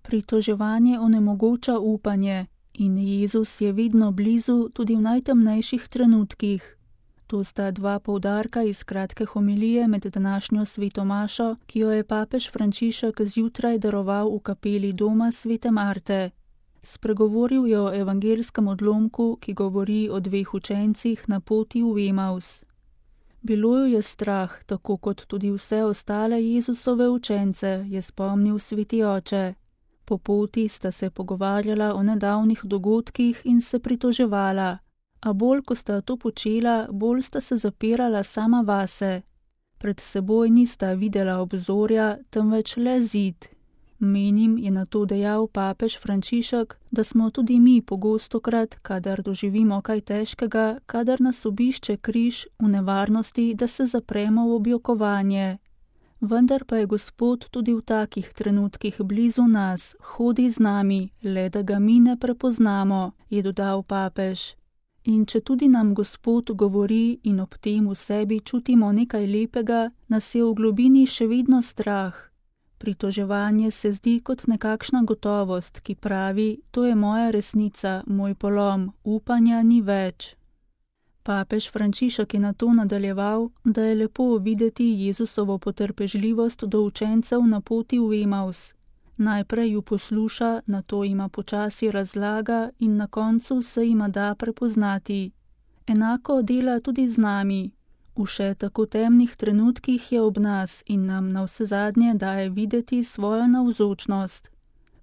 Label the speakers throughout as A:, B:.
A: Pritoževanje onemogoča upanje in Jezus je vedno blizu tudi v najtemnejših trenutkih. To sta dva poudarka iz kratke homilije med današnjo sveto mašo, ki jo je papež Frančišek zjutraj daroval v kapeli doma svete Marte. Spregovoril je o evangelskem odlomku, ki govori o dveh učencih na poti v Emaus. Bilo jo je strah, tako kot tudi vse ostale Jezusove učence, je spomnil sveti oče. Po poti sta se pogovarjala o nedavnih dogodkih in se pritoževala, a bolj, ko sta to počela, bolj sta se zapirala sama vase. Pred seboj nista videla obzorja, temveč le zid. Menim, je na to dejal papež Frančišek, da smo tudi mi pogostokrat, kadar doživimo kaj težkega, kadar nas obišče križ, v nevarnosti, da se zapremo v objokovanje. Vendar pa je Gospod tudi v takih trenutkih blizu nas, hodi z nami, le da ga mi ne prepoznamo, je dodal papež. In če tudi nam Gospod govori in ob tem v sebi čutimo nekaj lepega, nas je v globini še vedno strah. Pritoževanje se zdi kot nekakšna gotovost, ki pravi, to je moja resnica, moj polom, upanja ni več. Papež Frančišek je nato nadaljeval, da je lepo videti Jezusovo potrpežljivost do učencev na poti v Emaus. Najprej ju posluša, nato ima počasi razlaga in na koncu se jima da prepoznati. Enako dela tudi z nami. V še tako temnih trenutkih je ob nas in nam navsezadnje daje videti svojo navzočnost.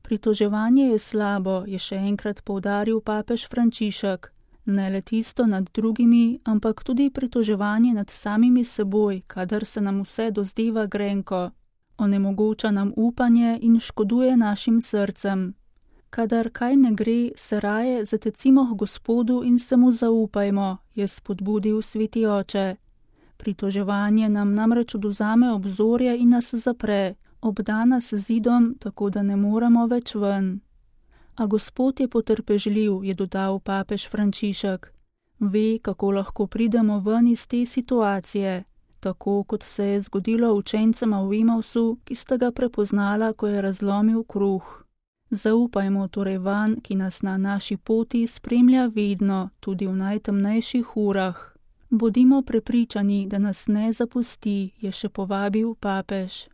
A: Pritoževanje je slabo, je še enkrat poudaril papež Frančišek. Ne le tisto nad drugimi, ampak tudi pritoževanje nad samimi seboj, kadar se nam vse dozdeva grenko. Onemogoča nam upanje in škoduje našim srcem. Kadar kaj ne gre, se raje zatecimo k Gospodu in se mu zaupajmo, je spodbudil sveti oče. Pritoževanje nam namreč odvzame obzorje in nas zapre, obda nas zidom, tako da ne moremo več ven. A Gospod je potrpežljiv, je dodal papež Frančišek. Ve, kako lahko pridemo ven iz te situacije, tako kot se je zgodilo učencema v Emausu, ki sta ga prepoznala, ko je razlomil kruh. Zaupajmo torej vanj, ki nas na naši poti spremlja vedno, tudi v najtemnejših urah. Bodimo prepričani, da nas ne zapusti, je še povabil papež.